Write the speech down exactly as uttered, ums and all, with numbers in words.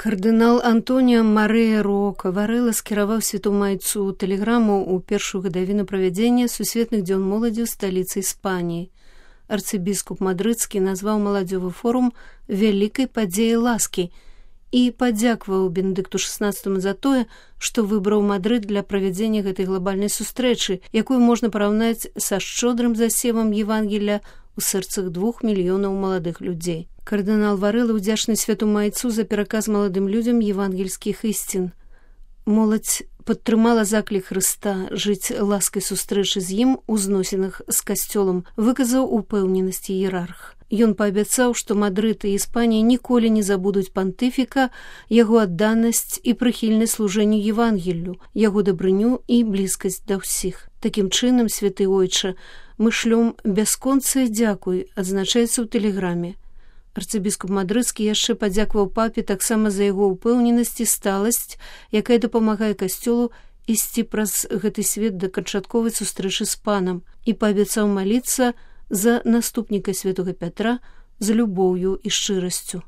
Кардынал Антоніо Марыя Рока Варэлла скіраваў святому айцу тэлеграму ў першую гадавіну правядзення сусветных дзён моладзі ў сталіцы Іспаніі. Арцыбіскуп мадрыдскі назваў маладзёвы форум вялікай падзеяй ласкі і падзякаваў Бенедыкту шаснаццатаму за тое, што выбраў Мадрыд для правядзення гэтай глобальнай сустрэчы, якую можна параўнаць са шчодрым засевам Евангелля у сэрцах двух мільёнаў маладых людзей. Кардынал Варэлла ўдзячны святому айцу за пераказ маладым людзям евангельскіх ісцін. Моладзь падтрымала заклік Хрыста жыць ласкай сустрэчы з ім у зносінах з касцёлам, выказаў упэўненасць іерарх. Ён паабяцаў, што Мадрыд і Іспанія ніколі не забудуць пантыфіка, яго адданасць і прыхільнасць служэнню Евангеллю, яго дабрыню і блізкасць да ўсіх. Такім чынам, святы ойча, мы шлём бясконцае дзякуй, адзначаецца ў тэлеграме. Арцыбіскуп мадрыдскі яшчэ падзякаваў папе таксама за яго ўпэўненасць і сталасць, якая дапамагае касцёлу ісці праз гэты свет да канчатковай сустрэчы з панам, і паабяцаў маліцца за наступніка святога Пятра з любоўю і шчырасцю.